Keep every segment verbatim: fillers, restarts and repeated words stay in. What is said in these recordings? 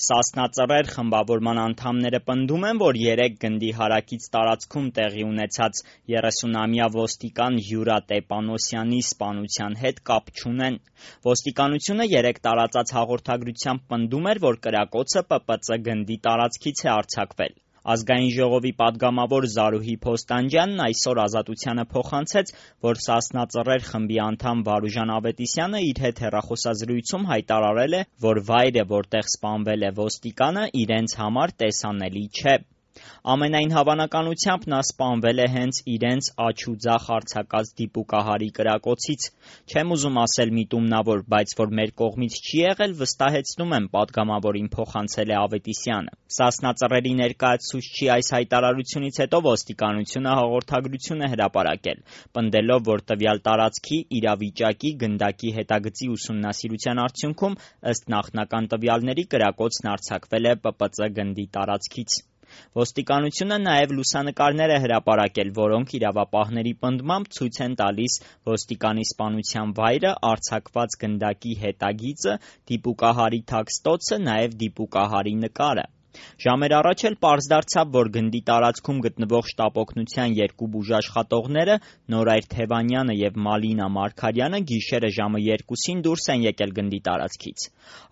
Սասնա Ծռեր խմբավորման անդամները պնդում են, որ երեկ գնդի հարակից տարածքում տեղի ունեցած երեսունամյա ոստիկան Յուրա Տեպանոսյանի սպանության հետ կապ չունեն։ Ոստիկանությունը երեկ տարածած հաղորդագրությամբ պնդում էր, որ կրակոցը Պ Պ Ծ գնդի տարածքից է արձակվել։ Ազգային ժողովի պատգամավոր Զարուհի Փոստանջյանն այսօր Ազատությանը փոխանցեց, որ Սասնա Ծռեր խմբի անդամ Վարուժան Ավետիսյանը իր հետ հեռախոսազրույցում հայտարարել է, որ վայրը, որտեղ սպանվել է ոստիկանը, իրենց համար տեսանելի չէ։ Ամենայն հավանականությամբ նա սպանվել է հենց իրենց աջ ու ձախ արձակած դիպուկահարի կրակոցից։ Չեմ ուզում ասել միտումնավոր, բայց որ մեր կողմից չի եղել, վստահեցնում եմ, պատգամավորին փոխանցել է Ավետիսյանը։ Սասնա Ծռերի ներկայացուցչի այս հայտարարությունից հետո ոստիկանությունը հաղորդագրություն է հրապարակել, պնդելով, որ տվյալ տարածքի իրավիճակի գնդակի հետագծի ուսումնասիրության արդյունքում ըստ նախնական տվյալների կրակոցն արձակվել է Պ Պ Ծ գնդի տարածքից։ Ոստիկանությունը նաև լուսանկարներ է հրապարակել, որոնք իրավապահների պնդմամբ ցույց են տալիս ոստիկանի սպանության վայրը, արձակված գնդակի հետագիծը, դիպուկահարի թաքստոցը, նաև դիպուկահարի նկարը։ Ժամեր առաջ էլ պարզ դարձավ, որ գնդի տարածքում գտնվող շտապօգնության երկու բուժաշխատողները՝ Նորայր Թևանյանը և Մալինա Մարգարյանը գիշերը ժամը երկուսին դուրս են եկել գնդի տարածքից։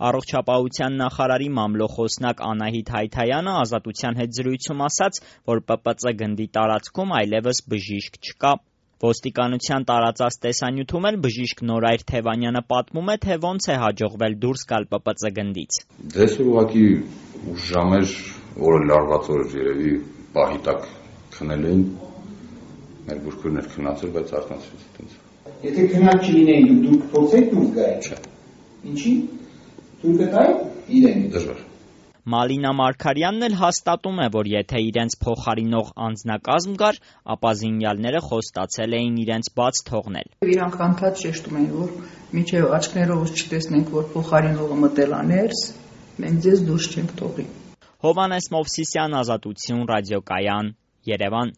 Առողջապահության նախարարի մամլոխոսնակ Անահիտ Հայթայանը Ազատության հետ զրույցում ասաց, որ Պ Պ Ծ գնդի տարածքում այլևս բժիշկ չկա։ Ոստիկանության տարածած տեսանյութում էլ բժիշկ Նորայր Թևանյանը պատմում է, թե ոնց է հաջողվել դուրս գալ Պ Պ Ծ գնդից։ Դες ուղղակի ուշ ժամեր, օրը լարված օր երևի պահի տակ քնել էին, մեր բուրգերներ քնացել, բայց արթնացրեց այտենց։ Եթե քնած չլինեին, դուք փորձեք դուրս գալ։ Չէ։ Ինչի՞։ Դուր գտայի իրեն։ Դժվար։ Մալինա Մարգարյանն էլ հաստատում է, որ եթե իրենց փոխարինող անձնակազմ կար, ապա զինյալները խոստացել էին իրենց բաց թողնել։ Իրանք անդադ շեշտում էին, որ մինչև աչքներովս չտեսնենք, որ փոխարինողը մտել է ներս, մենք ձեզ դուրս չենք թողի։ Հովհաննես Մովսիսյան, Ազատություն, ռադիոկայան, Երևան։